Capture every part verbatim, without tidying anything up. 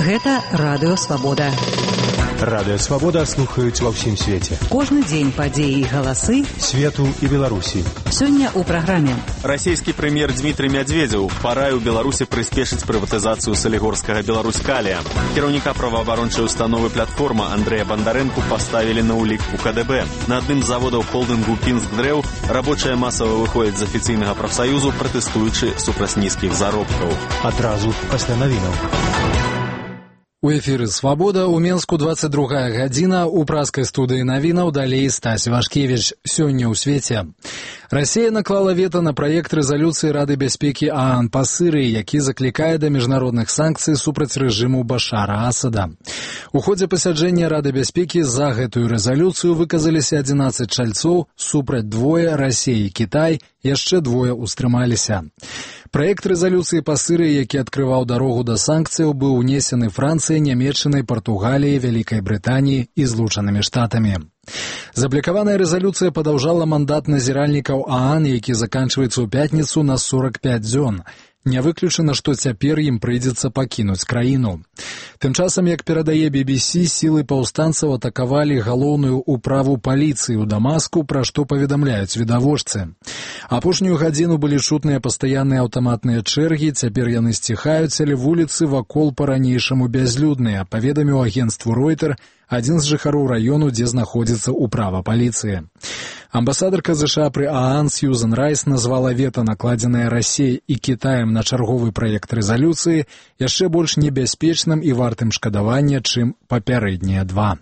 Гэта Радыё Свабода. Радыё Свабода слухаюць ва ўсім свеце. Кожны дзень падзеі і галасы свету і Беларусі. Сёння ў праграме. Расійскі прэм'ер Дмітрый Мядзведзеў параіў Беларусі прыспешыць прыватызацыю салігорскага Беларусь-Калія. Кіраўніка праваабарончай установы «Платформа» Андрэя Бандарэнку паставілі на ўлік у ка дэ бэ. На адным з заводаў холдынгу «Пінскдрэў» рабочыя масава выходзяць з афіцыйнага прафсаюзу, пратэстуючы супраць нізкіх заробкаў. Адразу пасля навінаў. У эфіры «Свабода» у Менску двадцать другая гадзіна, у праскай студыі навінаў далей Стась Вашкевіч. Сёння ў свеце. Расія наклала вета на праект рэзалюцыі Рады бяспекі ААН па Сырыі, які заклікае да міжнародных санкцый супраць рэжыму Башара Асада. У ходзе пасяджэння Рады бяспекі за гэтую рэзалюцыю выказаліся адзінаццаць чальцоў, супраць двое, Расія і Кітай, яшчэ двое ўстрымаліся. Праект рэзалюцыі па Сырыі, які адкрываў дарогу да санкцыяў, быў унесены Францыяй, Нямецчынай, Партугаліяй, Вялікай Брытаніяй і Злучанымі Штатамі. Заблікаваная рэзалюцыя падаўжала мандат назіральнікаў ААН, які заканчваецца ў пятніцу на сорок пять дзён. Не выключана, што цяпер ім прыйдзецца пакінуць краіну. Тым часам, як перадае би би сі, сілы паўстанцаў атакавалі галоўную ўправу паліцыі ў Дамаску, пра што паведамляюць відавочцы. Апошнюю гадзіну былі чутныя пастаянныя аўтаматныя чэргі, цяпер яны сціхаюць, але вуліцы вакол па-ранейшаму бязлюдныя, паведаміў агенцтву Ройтер адзін з жыхароў раёну, дзе знаходзіцца ўправа паліцыі. Амбасадарка ЗША пры ААН Сьюзан Райс назвала вета, накладзенае Расіяй і Кітаем на чарговы праект рэзалюцыі, яшчэ больш небяспечным і вартым шкадавання, чым папярэднія два.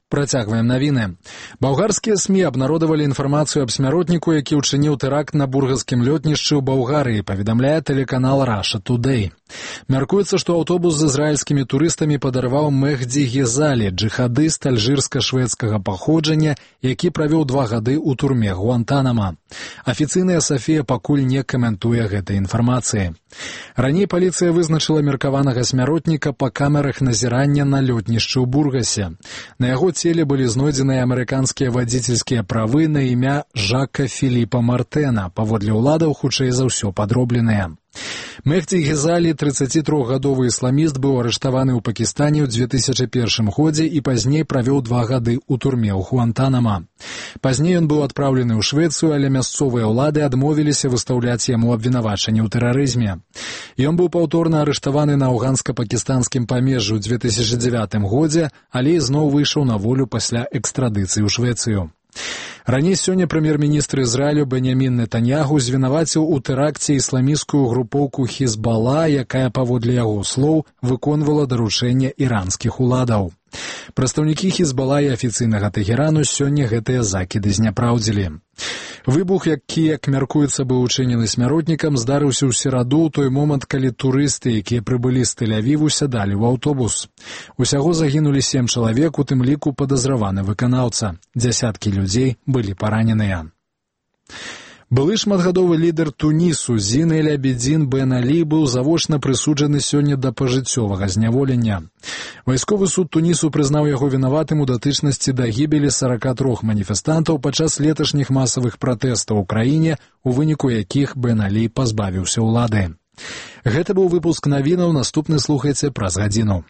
Працягваем навіны. Балгарскія СМІ абнародавалі інфармацыю аб смяротніку, які ўчыніў тэракт на бургаскім лётнішчы ў Балгарыі, паведамляе тэлеканал Russia Today. Мяркуецца, што аўтобус з ізраільскімі турыстамі падарваў Мехді Гезалі, джыхадыст альжырска-шведскага паходжання, які правёў два гады ў турме Гуантанама. Афіцыйная Сафія пакуль не каментуе гэтай інфармацыі. Раней паліцыя вызначыла меркаванага смяротніка па камерах назірання на лётнішчы ў Бургасе. На яго целе былі знойдзеныя амерыканскія вадзіцельскія правы на імя Жака Філіпа Мартэна, паводле ўладаў хутчэй за ўсё падробленыя. Мехді Гезалі, трыццацітрохгадовы ісламіст, быў арыштаваны ў Пакістане ў две тысячы першым годзе і пазней правёў два гады ў турме ў Гуантанама. Пазней ён быў адпраўлены ў Швецыю, але мясцовыя ўлады адмовіліся выстаўляць яму абвінавачанне ў тэрарызме. Ён быў паўторна арыштаваны на афганска-пакістанскім памежжы ў две тысячы дзевятым годзе, але зноў выйшаў на волю пасля экстрадыцыі ў Швецыю. Раней сёння прэм'ер-міністр Ізраілю Беньямін Нетаньяху звінаваціў у тэракце ісламісцкую групоўку Хізбала, якая, паводле яго слоў, выконвала даручэнне іранскіх уладаў. Прадстаўнікі Хізбала і афіцыйнага Тэхерану сёння гэтыя закіды зняпраўдзілі. Выбух, які, як мяркуецца, быў учынены смяротнікам, здарыўся ў сераду ў той момант, калі турысты, якія прыбылі з Тель-Авіву, сядалі ў аўтобус. Усяго загінулі сем чалавек, у тым ліку падазраваны выканаўца. Дзясяткі людзей былі параненыя. Былы шматгадовы лідар Тунісу Зін эль-Абідзін Бен Алі быў завочна прысуджаны сёння да пажыццёвага зняволення. Вайсковы суд Тунісу прызнаў яго вінаватым у датычнасці да гібелі сорока трох маніфестантаў падчас леташніх масавых пратэстаў у краіне, у выніку якіх Бен Алі пазбавіўся ўлады. Гэта быў выпуск навінаў, наступны слухайце праз гадзіну.